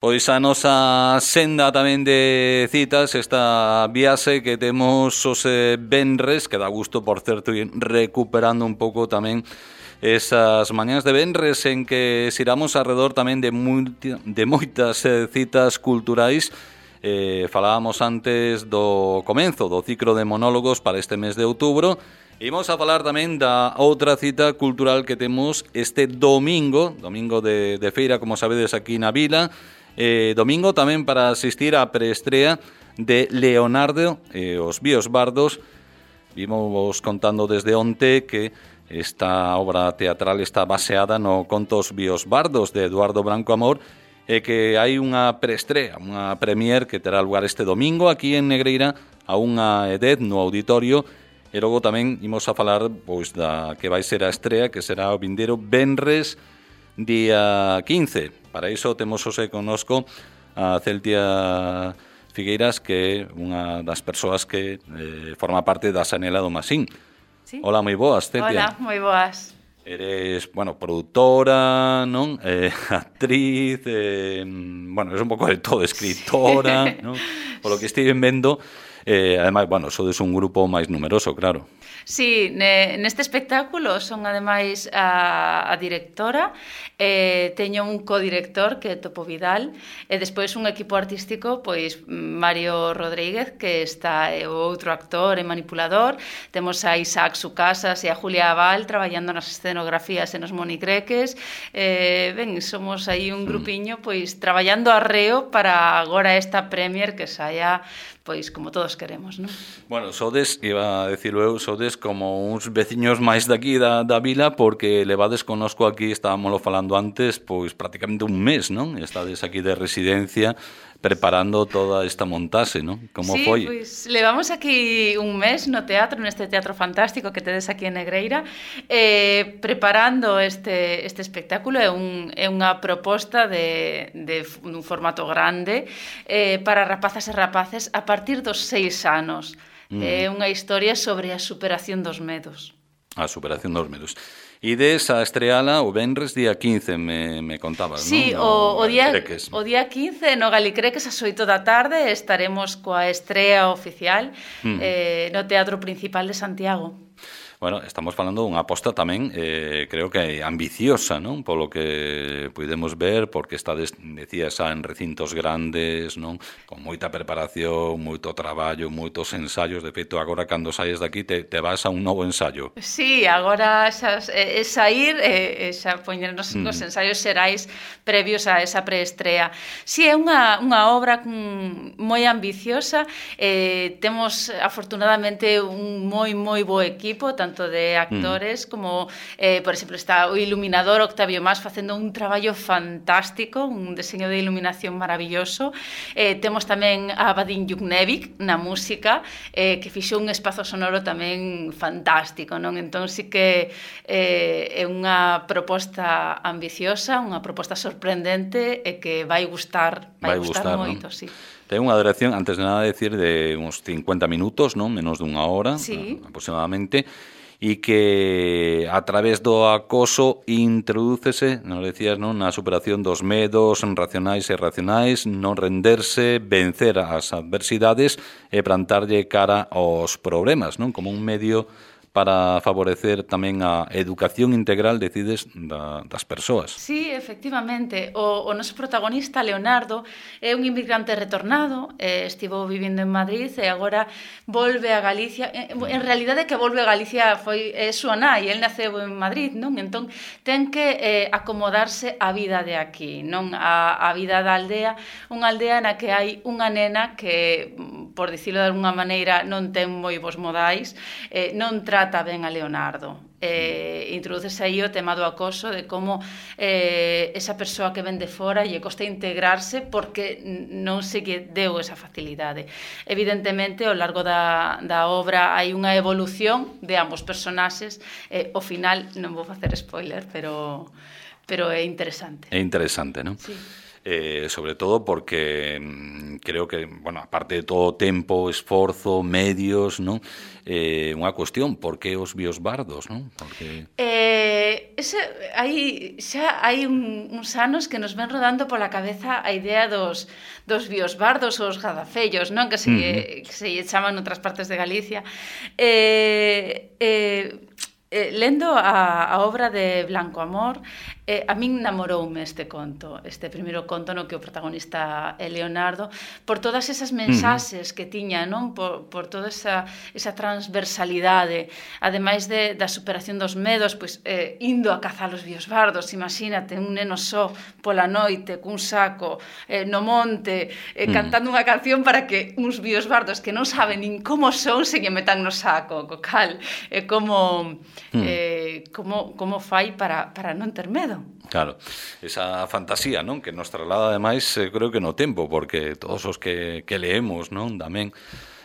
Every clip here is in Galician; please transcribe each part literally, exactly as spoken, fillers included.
Pois a nosa senda tamén de citas, esta viaxe que temos os eh, venres, que dá gusto, por certo, ir recuperando un pouco tamén esas mañás de venres en que xiramos alrededor tamén de, multi, de moitas eh, citas culturais. Eh, falábamos antes do comenzo do ciclo de monólogos para este mes de outubro. Imos a falar tamén da outra cita cultural que temos este domingo, domingo de, de feira, como sabedes, aquí na vila. Eh, domingo tamén para asistir á preestrea de Leonardo e eh, os Bíos Bardos. Vimos contando desde onte que esta obra teatral está baseada no contos Bíos Bardos de Eduardo Branco Amor e que hai unha preestrea, unha premier que terá lugar este domingo aquí en Negreira a unha edad no auditorio. E logo tamén imos a falar pois da que vai ser a estrea, que será o vindeiro venres día quince. Para iso temos hoxe connosco a Celtia Figueiras, que é unha das persoas que eh, forma parte da Xanela do Masín. ¿Sí? Hola, moi boas, Celtia. Hola, moi boas. Eres, bueno, productora, non? Eh, actriz, eh, bueno, eres un pouco de todo, escritora, non? Por lo que estive vendo, eh, ademais, bueno, sodes un grupo máis numeroso, claro. Sí, ne, neste espectáculo son ademais a, a directora, eh, teño un codirector que é Topo Vidal e despois un equipo artístico, pois Mario Rodríguez, que está é o outro actor e manipulador. Temos a Isaac Sucasas e a Julia Aval traballando nas escenografías e nos monicreques. Eh, ben, somos aí un grupiño pois traballando arreo para agora esta premier que saia pois como todos queremos, non? Bueno, sodes, iba a decirlo eu, sodes como uns veciños máis daqui da, da vila, porque levades connosco aquí, estábamoslo falando antes, pois prácticamente un mes, non? Estades aquí de residencia preparando toda esta montaxe, non? Como sí, foi? Sí, pois levamos aquí un mes no teatro, neste teatro fantástico que tedes aquí en Negreira, eh, preparando este, este espectáculo. É, un, é unha proposta de, de un formato grande eh, para rapazas e rapaces a partir dos seis anos. Mm. É unha historia sobre a superación dos medos. A superación dos medos. Ides a estreala o venres día quince, me, me contabas, sí, non? O, o, día, o día quince no Galicreques ás oito da tarde estaremos coa estrea oficial mm. eh, no Teatro Principal de Santiago. Bueno, estamos falando dunha aposta tamén, eh, creo que ambiciosa, non? Polo que podemos ver, porque estades, decía, xa en recintos grandes, non? Con moita preparación, moito traballo, moitos ensaios. De feito, agora, cando saes daqui, te, te vas a un novo ensaio. Sí, agora xa, é, é sair e eh, xa poñernos mm. nos ensaios xerais previos a esa preestrea. Sí, é unha, unha obra mm, moi ambiciosa. Eh, temos, afortunadamente, un moi, moi bo equipo, tanto tanto de actores mm. como, eh, por exemplo, está o iluminador Octavio Mas facendo un traballo fantástico, un deseño de iluminación maravilloso. Eh, temos tamén a Vadim Yuknevich na música, eh, que fixo un espazo sonoro tamén fantástico, non? Entón, sí que eh, é unha proposta ambiciosa, unha proposta sorprendente e que vai gustar, vai, vai gustar, gustar moito, non? Sí. Ten unha duración, antes de nada, decir, de uns cincuenta minutos, non? Menos dunha hora, sí. aproximadamente, e que a través do acoso introdúcese, nos decías, non, na superación dos medos racionais e irracionais, non renderse, vencer as adversidades e plantarlle cara aos problemas, non? Como un medio para favorecer tamén a educación integral, decides, da, das persoas. Sí, efectivamente. O, o noso protagonista, Leonardo, é un inmigrante retornado, eh, estivo vivindo en Madrid e agora volve a Galicia. En, en realidade, que volve a Galicia foi é súa nai, el naceu en Madrid, non? Entón, ten que eh, acomodarse á vida de aquí, non? A, a vida da aldea, unha aldea na que hai unha nena que, por dicilo de alguna maneira, non ten moi bons modais, eh, non trata ben a Leonardo. Eh, introducese aí o tema do acoso, de como eh, esa persoa que ven de fora lle costa integrarse porque non se lle deu esa facilidade. Evidentemente, ao largo da, da obra hai unha evolución de ambos personaxes. Eh, ao final, non vou facer spoiler, pero, pero é interesante. É interesante, non? Sí. eh, sobre todo porque mm, creo que, bueno, aparte de todo tempo, esforzo, medios, non? Eh, unha cuestión, por que os biosbardos, non? Porque... Eh, ese, hai, xa hai un, uns anos que nos ven rodando pola cabeza a idea dos, dos biosbardos ou os gadafellos, non? Que se, uh-huh. que se chaman noutras partes de Galicia. Eh, eh, eh, lendo a, a obra de Blanco Amor, eh, a min namoroume este conto, este primeiro conto no que o protagonista é Leonardo, por todas esas mensaxes uh-huh. que tiña, non? Por, por toda esa, esa transversalidade, ademais de, da superación dos medos, pois, eh, indo a cazar os biosbardos, imagínate, un neno só pola noite, cun saco, eh, no monte, eh, uh-huh. cantando unha canción para que uns biosbardos que non saben nin como son se lle metan no saco, co cal, eh, como, uh-huh. eh, como, como fai para, para non ter medo. Claro, esa fantasía, non? Que nos traslada ademais, eh, creo que no tempo, porque todos os que, que leemos, non? Tamén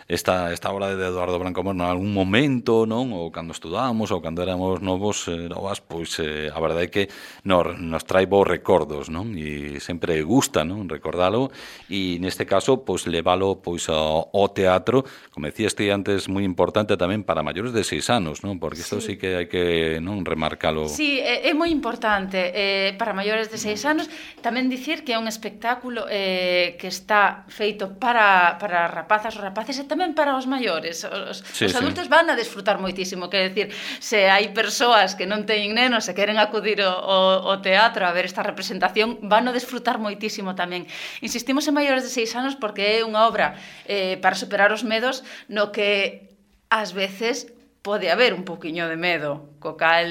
esta, esta obra de Eduardo Blanco Amor en algún momento, non? Ou cando estudábamos ou cando éramos novos, eh, novas, pois eh, a verdade é que nos, nos trae bons recordos, non? E sempre gusta, non? Recordalo, e neste caso, pois leválo pois ao, ao teatro, como decías ti antes, moi importante tamén para maiores de seis anos, non? Porque isto sí, sí que hai que, non, remarcalo. Sí, é, é moi importante eh, para maiores de seis anos. Tamén dicir que é un espectáculo eh, que está feito para, para rapazas ou rapaces e tamén para os maiores. Os, sí, os adultos sí. van a desfrutar moitísimo, quer decir, se hai persoas que non teñen nenos e queren acudir ao, ao teatro a ver esta representación, van a desfrutar moitísimo tamén. Insistimos en maiores de seis anos porque é unha obra eh, para superar os medos no que ás veces pode haber un pouquiño de medo, co cal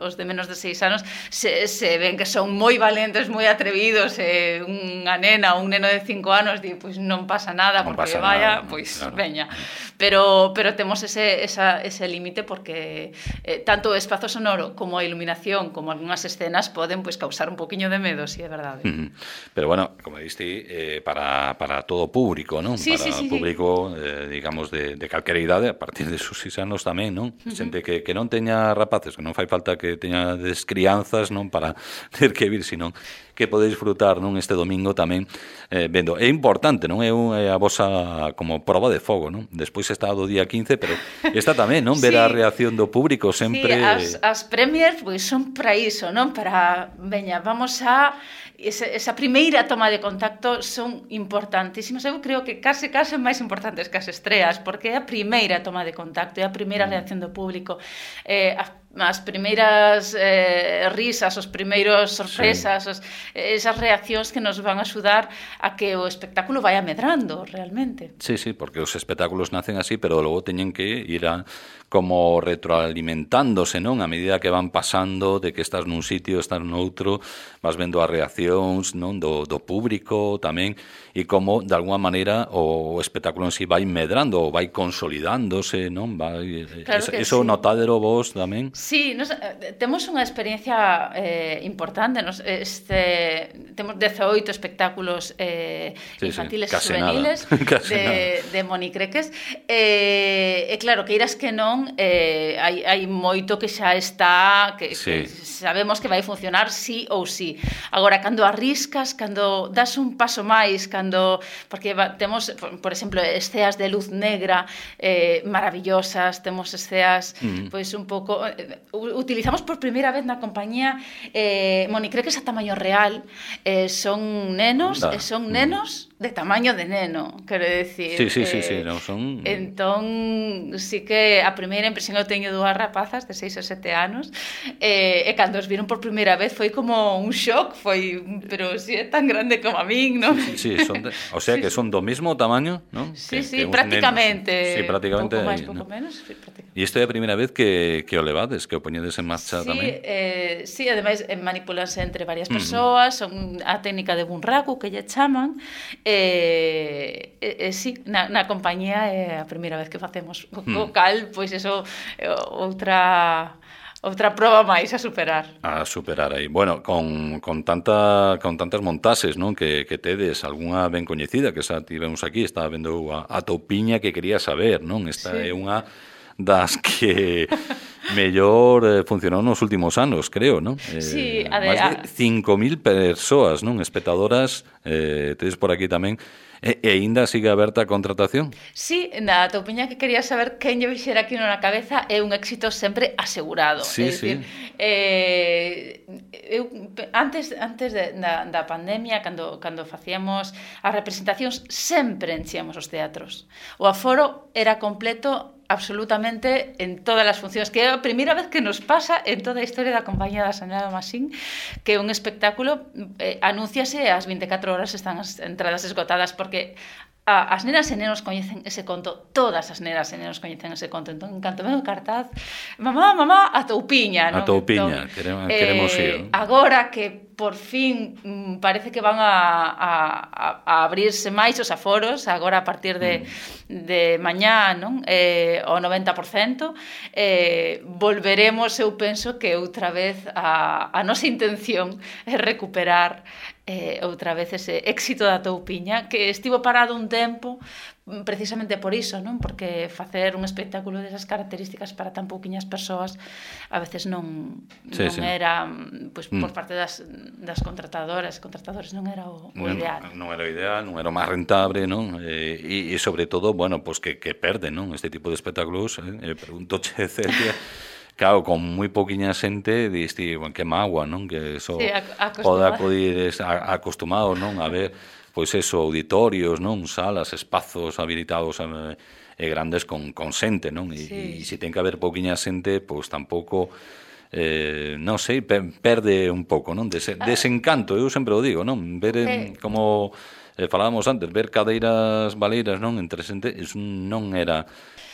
os de menos de seis anos se, se ven que son moi valentes, moi atrevidos, e unha nena ou un neno de cinco anos di, pois non pasa nada, non porque pasa vaya, nada, pois claro. Veña. Pero, pero temos ese, esa, ese límite porque eh, tanto o espazo sonoro como a iluminación, como algunhas escenas poden pois causar un pouquiño de medo, si sí, é verdade. Uh-huh. Pero bueno, como diste, eh, para, para todo público, non? Sí, para sí, sí, público, eh, digamos, de, de calquera idade, a partir de sus seis anos tamén, non? Uh-huh. Xente que, que non teña rapaces, que non fai falta que teña descrianzas, non? Para ter que vir, senón que pode disfrutar, non? Este domingo tamén eh, vendo. É importante, non? É, un, é a vosa como prova de fogo, non? Despois está do día quince, pero está tamén, non? Ver sí. a reacción do público sempre... Sí, as, as premiers pois, son para iso, non? Para, veña, vamos a... Esa, esa primeira toma de contacto son importantísimas. Eu creo que case, case máis importantes que as estreas, porque é a primeira toma de contacto, é a primeira reacción do público, eh, a as primeiras eh, risas, os primeiros sorpresas, sí. os, esas reaccións que nos van a axudar a que o espectáculo vaya medrando realmente. Sí, sí, porque os espectáculos nacen así, pero logo teñen que ir a, como retroalimentándose, non? A medida que van pasando, de que estás nun sitio, estás noutro, vas vendo as reaccións, non? Do, do público tamén, e como, de alguma maneira, o espectáculo en si vai medrando, ou vai consolidándose, non? Vai, claro eso, que eso sí. notadero vos tamén? Sí, nos, temos unha experiencia eh, importante. Nos, este, temos dezaoito espectáculos eh, sí, infantiles sí, e juveniles de, de monicreques. E eh, claro, que irás que non, eh, hai, hai moito que xa está, que, sí. que sabemos que vai funcionar sí ou sí. Agora, cando arriscas, cando das un paso máis, cando porque va, temos, por, por exemplo, esceas de luz negra eh, maravillosas, temos esceas mm. pois un pouco... Eh, utilizamos por primeira vez na compañía eh, monicreques a tamaño real, eh, son nenos e son nenos de tamaño de neno, quero decir. Sí, sí, eh, sí, sí, no, son... Entón, sí que a primeira impresión eu teño dúas rapazas de seis e sete anos, eh, e cando os viron por primeira vez foi como un shock, foi, pero si é tan grande como a min, non? Sí, sí, son de, o sea que son do mismo tamaño, non? Sí, que, sí, que prácticamente. Sí, prácticamente. Pouco máis, ahí, pouco ¿no? menos, sí, prácticamente. E isto é a primeira vez que, que o levades, que o poñedes en marcha sí, tamén? Eh, sí, ademais manipulanse entre varias persoas, son a técnica de bunraku que lle chaman, e eh, eh, sí, na, na compañía é a primeira vez que facemos o mm. cal, pois eso é outra outra proba máis a superar. A superar aí. Bueno, con, con tanta con tantas montases, non, que, que tedes, algunha ben coñecida que xa tivemos aquí, estaba vendo a, a Toupiña que quería saber, non? Esta sí. é unha das que mellor eh, funcionou nos últimos anos, creo, non? Eh, Sí, a de- máis de cinco mil persoas, non? Espectadoras, eh, tedes por aquí tamén. E, e ainda sigue aberta a contratación? Sí, na toupiña que quería saber quen lle vixera aquí na cabeza é un éxito sempre asegurado. Sí, é dicir, sí. eh, eu, antes antes de, da, da pandemia, cando, cando facíamos as representacións, sempre enchíamos os teatros. O aforo era completo absolutamente en todas as funcións, que é a primeira vez que nos pasa en toda a historia da compañía da Señora Masín, que un espectáculo eh, anúnciase e ás vinte e catro horas están as entradas esgotadas, porque a, as nenas e nenos coñecen ese conto, todas as nenas e nenos coñecen ese conto. Entón, en canto veo o cartaz, mamá, mamá, a toupiña, non? A toupiña, Entón, queremos, queremos eh, ir. ¿No? Agora que por fin mm, parece que van a, a, a abrirse máis os aforos, agora a partir de, mm. de mañá, non? Eh, o noventa por cento, eh, volveremos, eu penso que outra vez a, a nosa intención é recuperar eh, outra vez ese éxito da toupiña, que estivo parado un tempo precisamente por iso, non? Porque facer un espectáculo desas características para tan pouquiñas persoas a veces non, sí, non sí. era, pois, mm. por parte das, das contratadoras, contratadores non era o, o non, ideal. Non era o ideal, non era o máis rentable, non? E, e sobre todo, bueno, pues que, que perden, non? Este tipo de espectáculos, eh? Pregunto, che, Celia, claro, con moi pouquiña xente, diste, bueno, que mágoa, non? Que eso sí, pode acudir acostumado, non? A ver, pois eso, auditorios, non? Salas, espazos habilitados e eh, grandes con, con xente, non? E, sí. E se ten que haber pouquiña xente, pois tampouco, eh, non sei, perde un pouco, non? Des, desencanto, eu sempre o digo, non? Ver eh, como eh, falábamos antes, ver cadeiras baleiras, non? Entre xente, non era,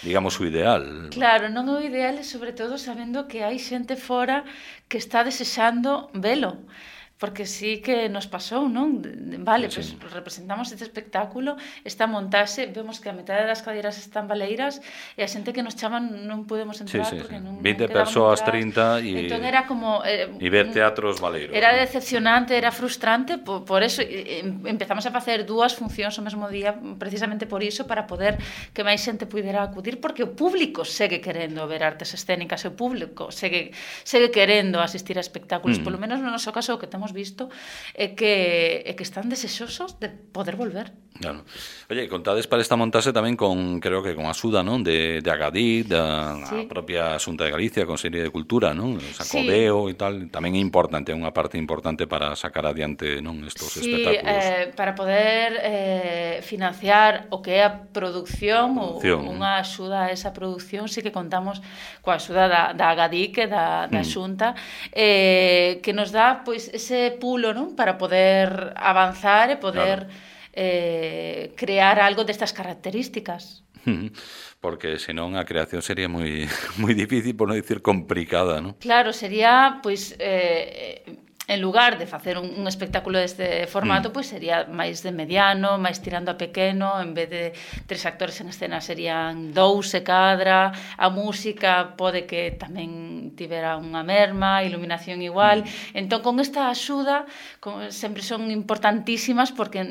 digamos, o ideal. Claro, non é o ideal, e sobre todo sabendo que hai xente fora que está desexando velo. Porque sí que nos pasou, non? Vale, sí, sí. Pues representamos este espectáculo, esta montase, vemos que a metade das cadeiras están baleiras e a xente que nos chaman non podemos entrar, sí, sí, porque sí. non vinte non persoas, trinta e entón era como eh, e ver teatros baleiros. Era ¿no? decepcionante, era frustrante, por, por eso eh, empezamos a facer dúas funcións o mesmo día, precisamente por iso, para poder que máis xente pudera acudir, porque o público segue querendo ver artes escénicas, o público segue segue querendo asistir a espectáculos, mm. polo menos no noso caso o que temos visto é que, é que están desexosos de poder volver. Claro. Oye, contades para esta montase tamén con, creo que con axuda, non? De, de Agadí, da sí. propia Xunta de Galicia, Consellería de Cultura, non? O Sacodeo sí. e tal, tamén é importante, é unha parte importante para sacar adiante, non? Estos sí, espectáculos. Eh, para poder eh, financiar o que é a produción, producción. ou unha axuda a esa produción, sí que contamos coa axuda da, da Agadí, que da, da mm. Xunta, eh, que nos dá, pois, ese pulo, non? Para poder avanzar e poder... Claro. Eh, crear algo destas características. Porque senón a creación sería moi moi difícil, por non dicir complicada, ¿no? Claro, sería, pois, eh, en lugar de facer un, un espectáculo deste formato, mm. pois sería máis de mediano, máis tirando a pequeno, en vez de tres actores en escena serían dous e cadra, a música pode que tamén tivera unha merma, iluminación igual. Mm. Entón, con esta axuda, con, sempre son importantísimas porque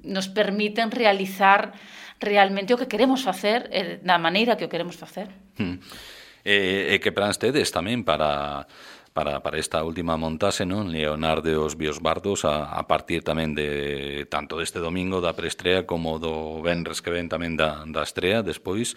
nos permiten realizar realmente o que queremos facer, eh, da maneira que o queremos facer. Mm. E, e que plans tedes tamén para... Para, para esta última montase, non? Leonardo e os Biosbardos, a, a partir tamén de tanto deste domingo da preestrea como do venres que ven tamén da, da estrea, despois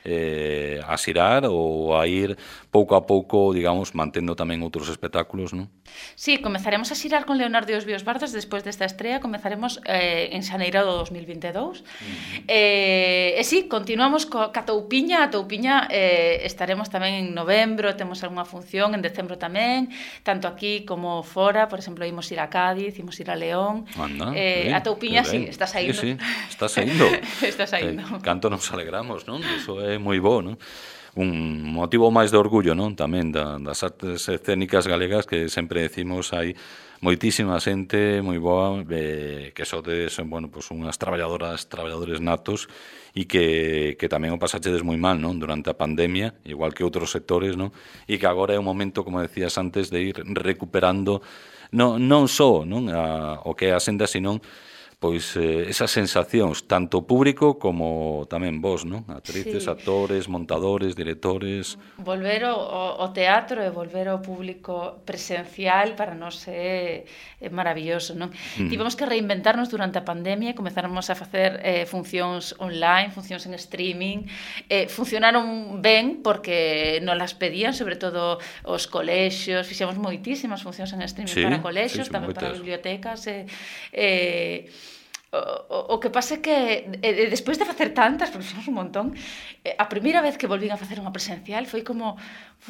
eh, a xirar ou a ir pouco a pouco, digamos, mantendo tamén outros espectáculos, non? Sí, comezaremos a xirar con Leonardo e os Biosbardos despois desta estrea, comezaremos eh, en xaneiro do dos mil vinte e dous. Uh-huh. Eh, e sí, continuamos co, ca Toupiña, a Toupiña eh, estaremos tamén en novembro, temos algunha función, en decembro tamén, tanto aquí como fora, por exemplo, imos ir a Cádiz, imos ir a León. Anda, eh, bien, a Toupiña, sí, está saindo. Sí, sí, está saindo. está saindo. Eh, canto nos alegramos, non? Iso é moi bo, non? Un motivo máis de orgullo, non? Tamén da, das artes escénicas galegas, que sempre decimos hai moitísima xente moi boa, eh, que sodes, bueno, pues unhas traballadoras, traballadores natos, e que, que tamén o pasachedes moi mal, non? Durante a pandemia, igual que outros sectores, non? E que agora é un momento, como decías antes, de ir recuperando non, non só, non? A, o que é a senda, senón pois eh, esas sensacións, tanto público como tamén vos, non? Actrices, sí. actores, montadores, directores... Volver ao, ao teatro e volver ao público presencial para nós é, é maravilloso, non? Mm. Tivemos que reinventarnos durante a pandemia, comezáramos a facer eh, funcións online, funcións en streaming, eh, funcionaron ben porque nos las pedían, sobre todo os colexios, fixemos moitísimas funcións en streaming sí, para colexios, sí, tamén para bibliotecas, e... Eh, eh, O, o que pasa é que eh, despois de facer tantas, porque fomos un montón, eh, a primeira vez que volvín a facer unha presencial foi como,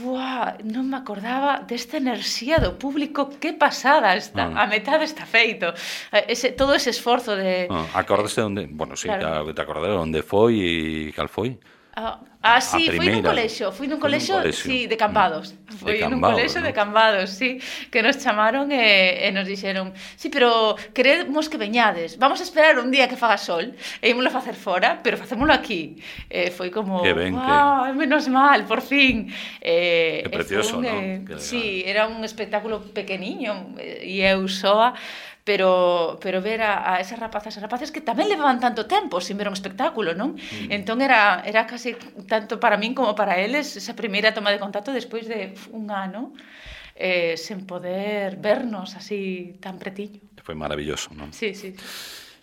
uah, non me acordaba desta enerxía do público, que pasada está, ah. a metade está feito. Ese, todo ese esforzo de... Ah, acordaste de onde, bueno, sí, claro. te acordaste de onde foi e cal foi? Ah, ah sí, fui nun colexio, fui nun colexio, sí, de Cambados. Fui nun colexio de Cambados, sí, que nos chamaron e, e nos dixeron, sí, pero queremos que veñades, vamos a esperar un día que faga sol, e ímoslo a facer fora, pero facémoslo aquí. E foi como, wow, que... menos mal, por fin. Eh, que precioso, non? Eh, sí, era un espectáculo pequeniño, e eu soa, pero pero ver a, a esas rapazas e rapaces que tamén levaban tanto tempo sin ver un espectáculo, non? Mm. Entón era era casi tanto para min como para eles esa primeira toma de contacto despois de un ano eh, sen poder vernos así tan pretiño. Foi maravilloso, non? Sí, sí.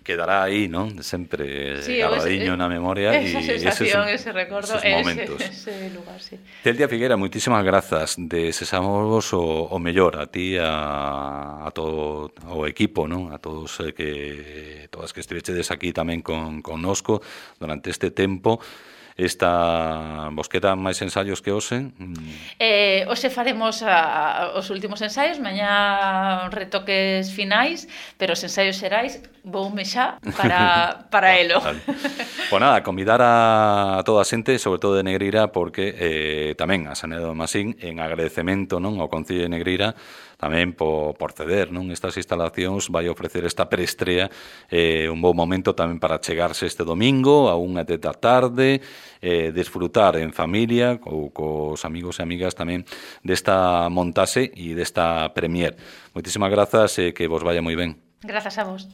Quedará aí, non? Sempre sí, grabadiño na memoria. Esa e sensación, ese, ese recordo, esos momentos. Ese, ese lugar, sí. Celia Figuera, moitísimas grazas. Desexamos o, o mellor a ti, a, a todo o equipo, non? A todos eh, que todas que estivechedes aquí tamén con connosco durante este tempo. Esta vos quedan máis ensaios que hoxe? Eh, hoxe faremos a, a, os últimos ensaios, mañá retoques finais, pero os ensaios xerais voume xa para, para elo. Vale. Pois nada, convidar a toda a xente, sobre todo de Negreira, porque eh, tamén a Sanidade do Masín, en agradecemento, non, ao Concello de Negreira, tamén por, por ceder, non, estas instalacións, vai ofrecer esta preestrea, eh, un bon momento tamén para chegarse este domingo a unha da tarde, eh, desfrutar en familia ou cos amigos e amigas tamén desta montaxe e desta premier. Moitísimas grazas e que vos vaya moi ben. Grazas a vos.